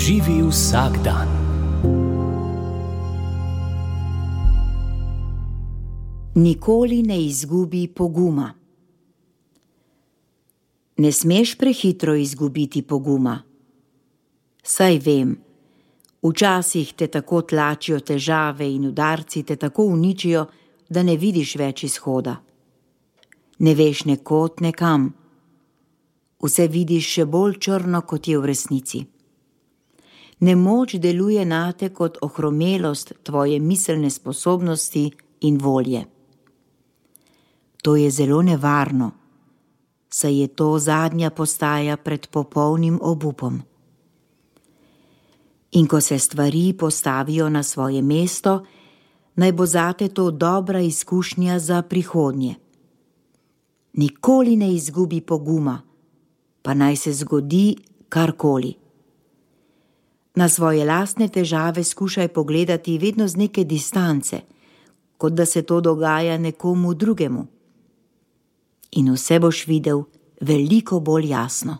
Živi vsak dan. Nikoli ne izgubi poguma. Ne smeš prehitro izgubiti poguma. Saj vem, včasih te tako tlačijo težave in udarci te tako uničijo, da ne vidiš več izhoda. Ne veš ne kod, ne kam. Vse vidiš še bolj črno, kot je v resnici. Nemoč deluje nate kot ohromelost tvoje miselne sposobnosti in volje. To je zelo nevarno, saj je to zadnja postaja pred popolnim obupom. In ko se stvari postavijo na svoje mesto, naj bo zate to dobra izkušnja za prihodnje. Nikoli ne izgubi poguma, pa naj se zgodi karkoli. Na svoje lastne težave skušaj pogledati vedno z neke distance, kot da se to dogaja nekomu drugemu. In vse boš videl veliko bolj jasno.